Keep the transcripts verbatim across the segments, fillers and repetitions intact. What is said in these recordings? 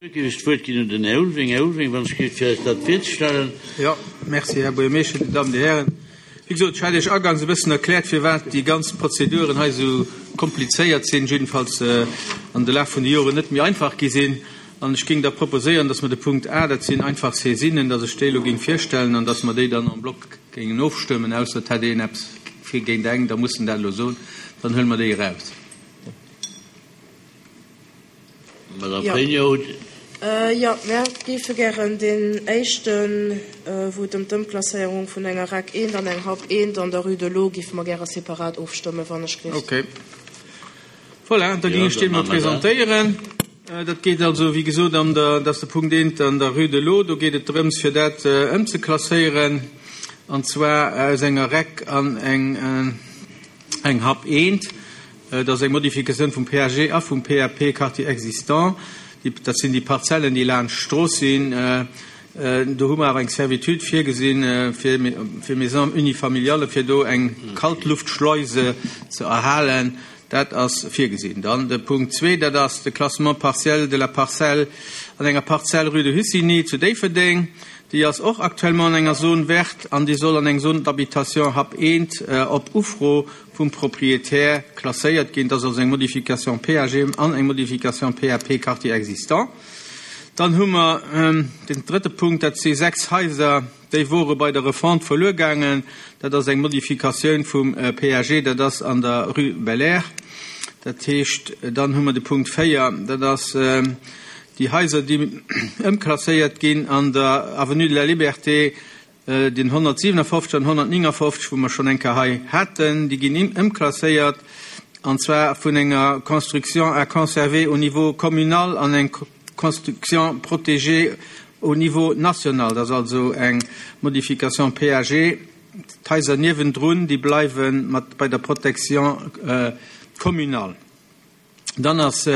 Géif ech d'Wuert ginn un den Här Ulveling. Här Ulveling, wann ech géif fir eis dat virzestellen. Jo, merci, Här Buergermeeschter, Dir Dammen, Dir Hären. Wéi gesot, ech hat Iech agangs e bëssen erkläert, firwat déi ganz Prozeduren hei esou komplizéiert sinn, jiddefalls an de Laf vun de Joren net méi einfach gi sinn. An ech géing da proposéieren, dass mer de Punkt A, dat sinn einfach Saisinen, dass ech déi elo géing virstellen an dass mer déi dann en bloc géingen ofstëmmen, ausser et hätt een eppes fir géint eng, da muss en dat elo soen, dann huele mer déi eraus. Madame Pregno. Jo, mär géife gären deen éischten, wou et ëm d'Ëmklasséierung vun enger REC eent an eng HAP eent an der Rue de l'Eau, géife mer gäre separat ofstëmmen, wann ech géif. Okay. Voilà, da géing ech deen emol presentéieren. Dat geet also, wéi gesot, an der, dat ass de Punkt eent an der Rue de l'Eau. Do geet et drëms, fir dat ëmzeklasséieren, an zwar aus enger REC an eng, eng HAP eent. Dat ass eng Modifikatioun vum P A G a vum P A P Quartier existant. Dat sinn déi Parzellen, déi laanscht d'Strooss sinn. Do hu mer awer eng Servitude virgesinn fir fir Maisons unifamiliales, fir do eng Kaltluftschleuse ze erhalen. Dat ass virgesinn. Dann de Punkt zwee, dat ass de Classement partiel de la parcelle an enger Parzell Rue de Hussigny zu Déifferdeng. Déi ass och actuellement an enger Zone verte an déi soll an eng Zone d'habitation HAP eent op Ufro vum Proprietär klasséiert ginn. Dat ass also eng Modification P A G an eng Modification P A P Quartier existant. Dann hu mer den drëtte Punkt, dat si sechs Haiser, déi wore bei der Refonte verluer gaangen. Dat ass eng Modifikatioun vum P A G, dat ass an der Rue Belair. Dat heescht, dann hu mer de Punkt véier, dat ass déi Haiser, déi ëmklasséiert ginn an der Avenue de la Liberté, den honnertsiewenefofzeg an honnertnéngefofzeg, wou mer schonn eng Kéier hei haten, déi ginn ëmklasséiert, an zwar vun enger Construction à conserver au niveau communal an eng Construction protégée au niveau national. Dat ass also eng Modification P A G. D'Haiser niewendrun, déi bleiwe mat bei der Protection communale. Dann ass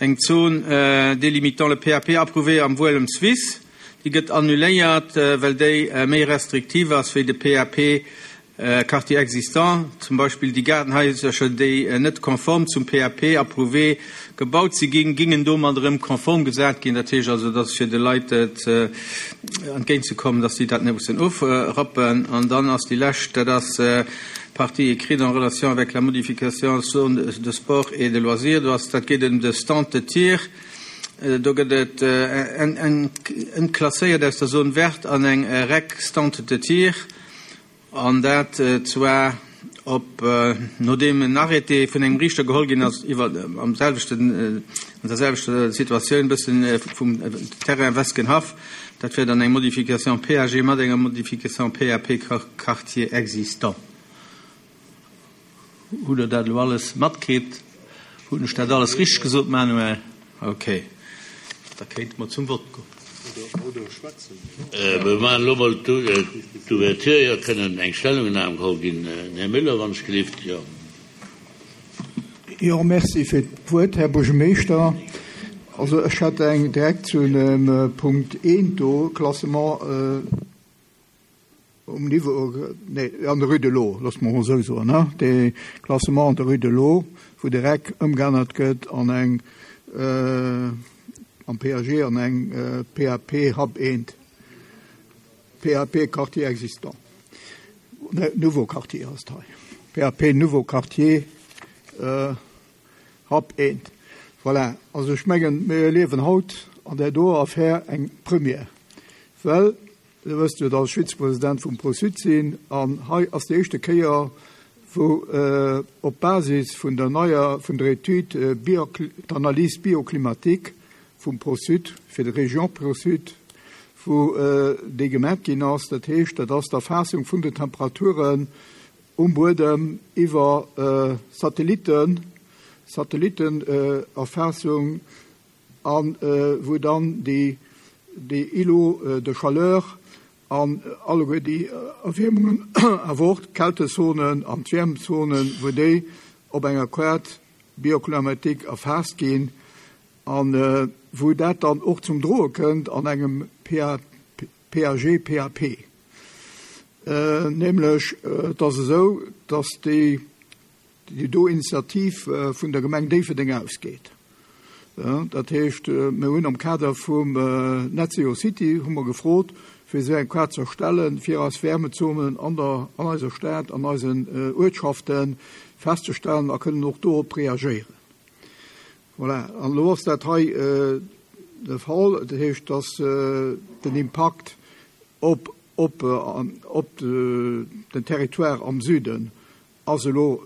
eng Zone délimitant le P A P approuvé am Wuelemswiss. Déi gëtt annuléiert, well déi méi restriktiv ass wéi de P A P Quartier existant. Zum Beispill déi Gaardenhaisercher, déi net konform zum P A P approuvé gebaut si ginn, gingen domat erëm konform gesat ginn. Dat heescht also, dass fir de Leit entgéintzekommen, dass si dat net mussen ofrappen. An dann ass déi lescht, dat ass partie écrite en relation avec la modification zone de sport et de loisirs. Do ass, dat geet ëm de Stand de tir. Do gëtt et ëmklasséiert aus der Zone verte an eng REC Stand de tir. An dat zwar op nodeem en Arrêté vun engem Riichter geholl ginn ass iwwer am selwechten, an der selwechter Situatioun bëssen vum Terrain Weskenhaff. Dat wär dann eng Modification P A G mat enger Modification P A P Quartier existant. Hutt Der dat elo alles matkritt? Hunn ech dat alles richteg gesot, Manuel? Okay. Da kéinte mer zum Vott goen. Mir maachen elo mol d'Ouverture. Jo, kënnen eng Stellungnam geholl ginn. Här Müller, wann ech gelift. Jo. Jo, merci fir d'Wuert, Här Buergermeeschter. Also ech hätt eng direkt zu dem Punkt eent do, Klassement um Niveau, nee, an der Rue de l'Eau, loosse mer mol esou soen, ne, de Klassement an der Rue de l'Eau, wou direkt ëmgeännert gëtt an eng am P A G an eng P A P HAP eent, P A P Quartier existant, nouveau quartier ass et hei, P A P nouveau quartier HAP eent. Voilà, also ech mengen, mir erliewen haut an där do Affär eng Première, well Dir wësst jo, datt ech Vizepresident vum ProSud sinn, an hei ass déi éischte Kéier, wou op Basis vun der neier, vun der Etüd bio, d'Analyse bioclimatique vum ProSud, fir de Région ProSud, wou déi gemat ginn ass, dat heescht, dat ass d'Erfaassung vun den Temperaturen um Buedem iwwer Satelliten, Satellitenerfaassung, a wou dann déi, déi Îlots de chaleur an alleguer déi Erwiermungen, awer och d'Kältezonen an d'Wäermzonen, wou déi op enger Carte bioclimatique erfaasst ginn a wou dat dann och zum Droe kënnt an engem P A G, P A P. Nämlech, et ass esou, dass déi do Initiativ vun der Gemeng Déifferdeng ausgeet. Dat heescht, mir hunn am Kader vum Net Zero City hu mer gefrot, fir esou eng Kaart ze erstellen, fir eis Wärmezonen an der, an eiser Stad, an eisen Uertschaften festzestellen a kënnen och dorop reagéieren. Voilà. An elo ass dat hei de Fall. Dat heescht, dass den Impakt op, op, op den Territoire am Süden ass elo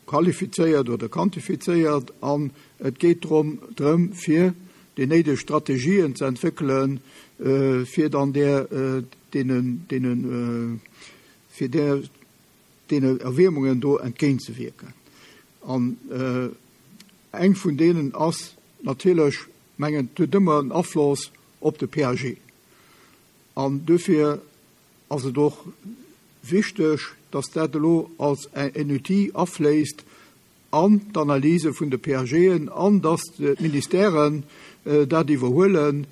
qualifizéiert oder quantifizéiert an et geet drëm, drëm fir déi néideg Strategien ze entwéckelen, fir dann där, deenen, deenen, fir där, deene Erwiermungen do entgéintzewierken. An eng vun deenen ass natierlech, mengen, et huet ëmmer en Afloss op de P A G. An dofir ass et och wichteg, dass dat elo als en Outil afléisst an d'Analyse vun de P A G'en an dass d'Ministèren dat iwwerhuelen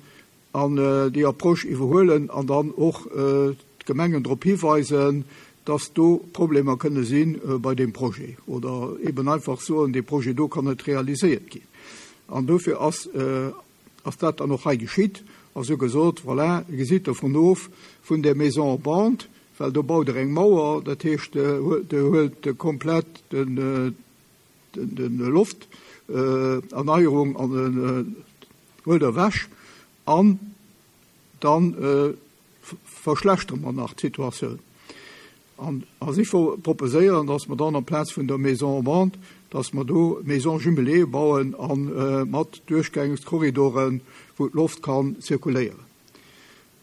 an déi Approche iwwerhuelen an dann och d'Gemengen drop hiweisen, dass do Problemer kënne sinn bei dem Projet oder eben einfach soen, dee Projet do kann net realiséiert ginn. An dofir ass, ass dat dann och hei geschitt. Also gesot, voilà, gesitt dovun of vun der Maison en bande, well do baut er eng Mauer, dat heescht, de huelt komplett den, den, den Loft, äh, Erneierung an den, äh, huelt er wäsch an dann, äh, verschlechtern wir nach d'Situatioun. An, also ich proposéieren, dass wir dann am Platz vun der Maison en bande, dass wir do Maison jumelée bauen an, äh, mat Durchgangskorridoren, wou d'Loft kann zirkuléieren.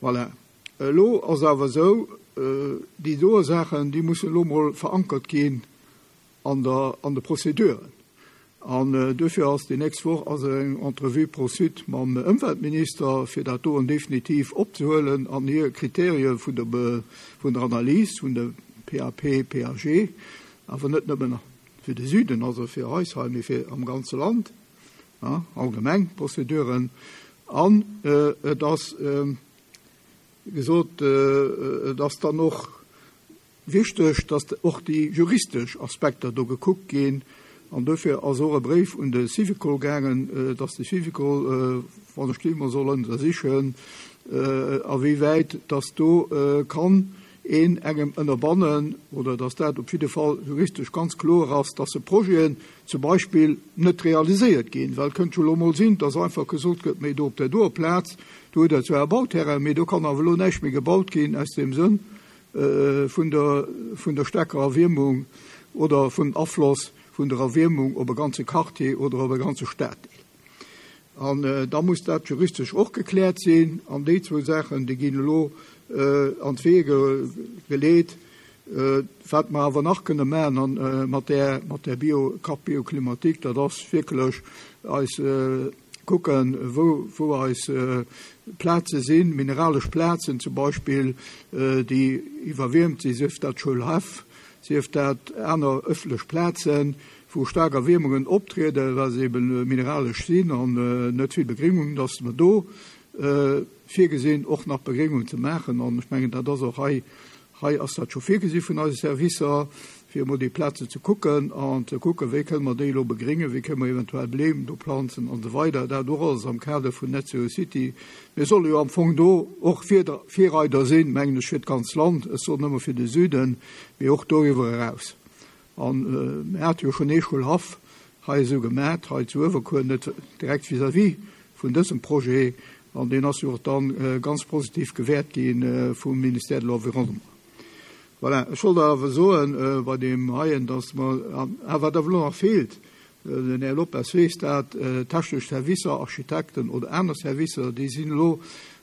Voilà. Elo ass awer sou, äh, déi do Saachen, déi mussen elo mol verankert ginn an der, an de Prozeduren. An, äh, dofir ass déi nächst Woch ass eng Entrevue pro Sud mam Ëmweltminister, fir dat do definitiv opzehuelen an hir Kriterien vun der Be-, vun der Analyse, vun der P A P, P A G, awer net nëmmen fir de Süden, also fir eis hei, mee fir am ganze Land, ja, allgemeng Prozeduren. An, äh, et ass, äh, gesot, äh, et ass dann och wichteg, dass och déi juristesch Aspekter do gekuckt ginn. An dofir ass och e Bréif un de Syvicol gaangen, äh, dass de Syvicol, äh, wann ech Klima soll ënnersichen, äh, a wéi wäit, dass do, äh, kann een engem ënnerbannen oder dass dat op jidde Fall juristesch ganz kloer ass, dass se Projeten zum Beispill net realiséiert ginn, well kënnt scho lo mol sinn, dass einfach gesot gëtt, méi do op der doer Plaz, do huet er zwar e Bauterrain, mee do kann awer lo näischt méi gebaut ginn aus dem Sënn, äh, vun der, vun der stärkerer Erwiermung oder vun Afloss vun der Erwiermung op e ganze Quartier oder op e ganze Stadtdeel. An, äh, da muss dat juristesch och gekläert sinn, an déi zwou Saachen, déi ginn elo, äh, an d'Wege ge-, geleet. Äh, wat mer awer nach kënne maachen an, äh, mat der, mat der Bio-, Carte Bioclimatique, dat ass wierklech eis, äh, kucken, wou, wou eis, äh, Plaze sinn, mineralesch Plazen zum Beispill, äh, déi iwwerwiermt sinn, sief dat Schoulhaff, sief dat aner ëffentlech Plazen, wou stark Erwiermungen optrieden, well se eben mineralesch sinn an, äh, net vill Begringung, dass mer do, äh, virgesinn, och nach Begringung ze maachen. An ech mengen, dat ass och hei, hei ass dat scho virgesi vun eise Servicer, fir emol déi Plaze ze kucken an ze kucken, wéi kënne mer déi elo begringen, wéi kënne mer eventuell Bléim do planzen an so weider. Dat och alles am Kader vun Net Zero City. Mir solle jo am Fong do och Virda-, Virreider sinn, mengen ech, fir d'ganz Land, es soll nëmme fir de Süden, mee och doriwwer eraus. An, äh, mir hat jo schon ee Schoulhaff hei esou gemat, hei zu Uewerkuer, net direkt vis-à-vis vun dësem Projet, an deen ass jo och dann, äh, ganz positiv gewährt ginn, äh, vum Ministère de l'Environnement. Voilà. Ech wollt awer soen, äh, bei dem heien, dass mer, ah, wat awer elo nach feelt, äh, den Här Lopez weess dat, äh, technesch Servicer, Architekten oder aner Servicer, déi sinn elo,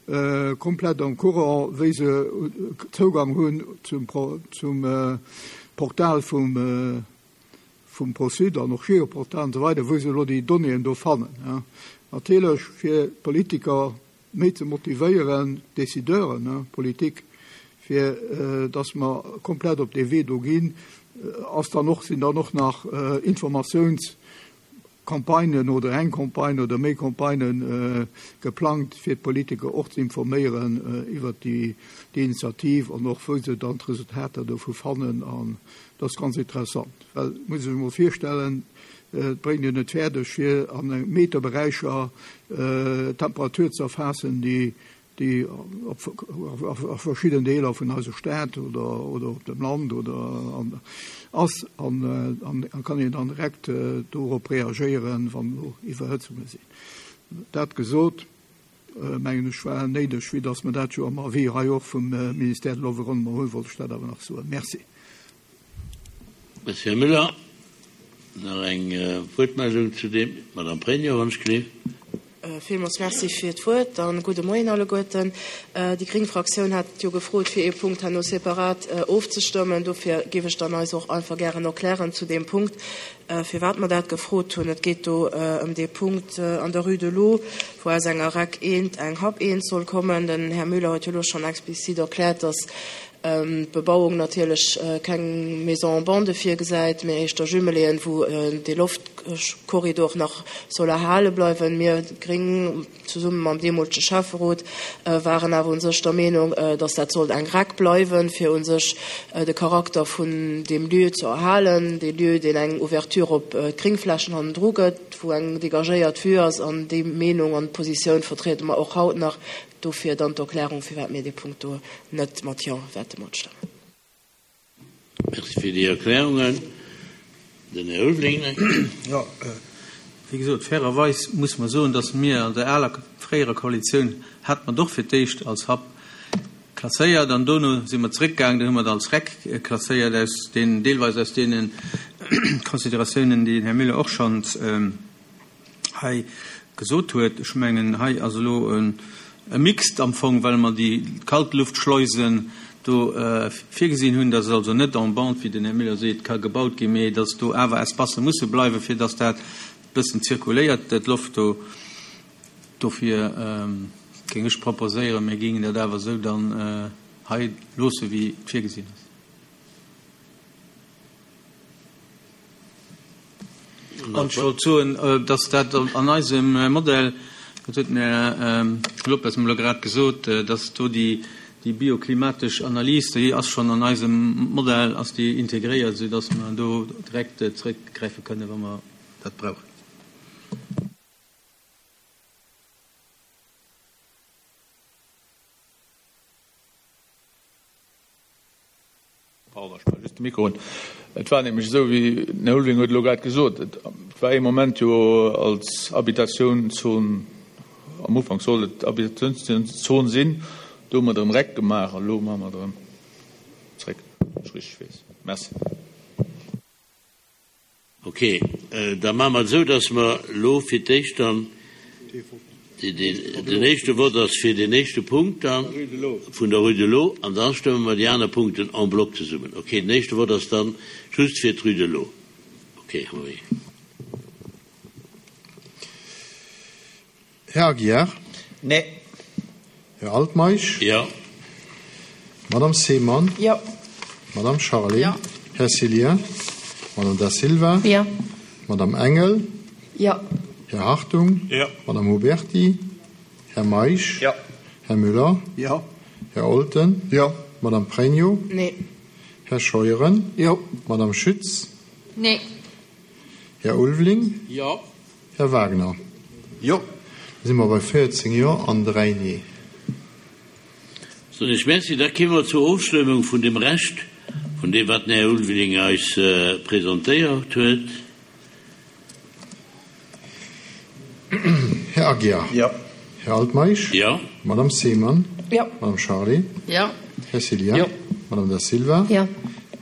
äh, komplett am Courant, wéi se, äh, Zougang hunn zum Pro-, zum, äh, Portal vum, äh, vum ProSud an och Geoportal und so weiter, wou se elo déi Donnéeën do fannen. Ja. Natierlech fir Politiker méi ze motivéieren, Décideuren, ne, Politik, fir, äh, dass mer komplett op de Wee do ginn, äh, ass dann och, sinn dann och nach, äh, Informatiounscampagnen oder eng Campagne oder méi Campagnen, äh, geplant, fir d'Politiker och ze informéieren, äh, iwwer déi, déi Initiativ an och wou se dann d'Resultater dovu fannen. An das ist ganz interessant, well muss ich mir vorstellen, Et bréngt een et fäerdeg, fir an Meterberäicher Temperatur ze erfaassen, déi déi op a verschidden Deeler vun eiser Stad oder oder op dem Land oder an ass an an kann een dann direkt dorop reagéieren, wann do Iwwerhëtzunge sinn. Dat gesot, mengen ech, war néideg, vue dass mer dat jo am Avis hei och vum Ministère de l'Environnement hunn, wollt ech dat awer nach soen. Merci. Merci, Här Müller. Nach eng Wuertmeldung zu deem? D'Madame Pregno, wann ech gleef. Villmools Merci fir d'Wuert a gudde Moien alleguerten. Déi gréng Fraktioun hat jo gefrot, fir ee Punkt herno separat ofzestëmmen. Dofir géif ech dann eis och einfach gären erklären zu deem Punkt, firwat mer dat gefrot hunn. Et geet do ëm dee Punkt an der Rue de l'Eau, wou aus enger Rec eent eng Hub eent soll kommen. Den Här Müller huet jo elo schonn explizit erkläert, dass d'Bebauung natierlech keng Maison en bande virgesäit, mee éischter Jumeléen, wou dee Loftkorridor nach soll erhale bleiwen. Mir Gréng, zesumme mam deemolege Schäfferot, waren awer u sech der Meenung, dass dat sollt eng Rec bleiwen, fir u sech de Charakter vun deem Lieu ze erhalen, dee Lieu, deen eng Ouverture op d'Gréngflächen hannendru gëtt, wou eng dégagéiert Vue ass. An déi Meenung an Positioun vertriede mer och haut nach. Dofir dann d'Erklärung, firwat mir dee Punkt do net mat Jo wäerte matstëmmen. Merci fir déi Erklärungen. Den Här Ulveling. Jo, wéi gesot, fairerweis muss mer soen, datt mir an der aler, fréierer Koalitioun hate mer et och fir d'éischt als Hub klasséiert an dono si mer zréckgaangen, dann hu mer et als Rec klasséiert, aus deenen, deelweis aus deene Consideratiounen, déi den Här Müller och schonns hei gesot huet. Ech mengen, hei ass elo e Mixed am Fong, well mer déi Kaltluftschleusen do virgesinn hunn, dass et also net en bande, wéi den Här Müller seet, ka gebaut ginn, mee dass do awer Espacë musse bleiwen, fir dass dat bëssen zirkuléiert, d'Loft do. Dofir géing ech proposéieren, mir géingen dat awer esou dann hei loosse wéi et virgesinn ass. An ech wollt soen, dass dat an eisem Modell, dat huet den Här Lopes mer elo grad gesot, dass do déi bioklimatesch Analys, déi ass schonn an eisem Modell ass déi integréiert, soudass mer do direkt zrëckgräife kënnen, wa mer dat brauchen. Pardon, ech maache just de Mikro un. Et war nämlech esou, wéi den Här Ulveling huet elo grad gesot, et war ee Moment jo als Habitatiounszon, am Ufank sollt et Habitatiounszon sinn, do hu mer et erëm Reck gemaach an elo maache mer et erëm zréck, wann ech richteg weess. Merci. Ok, da maache mer et esou, dass mer elo fir d'éischt dann den éischte Vott ass fir deen éischte Punkt dann vun der Rue de l'Eau an da stëmme mer déi aner Punkten en bloc zesummen. Ok, den éischte Vott ass dann just fir d'Rue de l'Eau. Ok, Henri. Här Aguiar? Nee. Här Altmeisch? Jo. Madame Seemann? Jo. Madame Charlé? Jo. Här Cillien? Madame Da Silva? Jo. Madame Engel? Jo. Här Hartung? Jo. Madame Huberty? Här Meisch? Jo. Här Müller? Jo. Här Olten? Jo. Madame Pregno? Nee. Här Scheuren? Jo. Madame Schütz? Nee. Här Ulveling? Jo. Här Wagner? Jo. Da si mer bei véierzéng Jo an dräi Nee. Soen ech Merci. Da kéime mer zur Ofstëmmung vun dem Rescht vun deem, wat den Här Ulveling eis presentéiert huet. Här Aguiar. Jo. Här Altmeisch. Jo. Madame Seemann. Jo. Madame Charlé. Jo. Här Cillien. Jo. Madame Da Silva. Jo.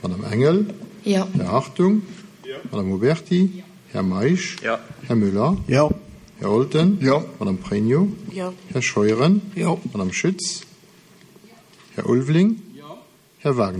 Madame Engel. Jo. Här Hartung. Jo. Madame Huberty. Här Meisch. Jo. Här Müller. Jo. Här Olten. Jo. Madame Pregno. Jo. Här Scheuren. Jo. Madame Schütz. Här Ulveling. Jo. Här Wagner.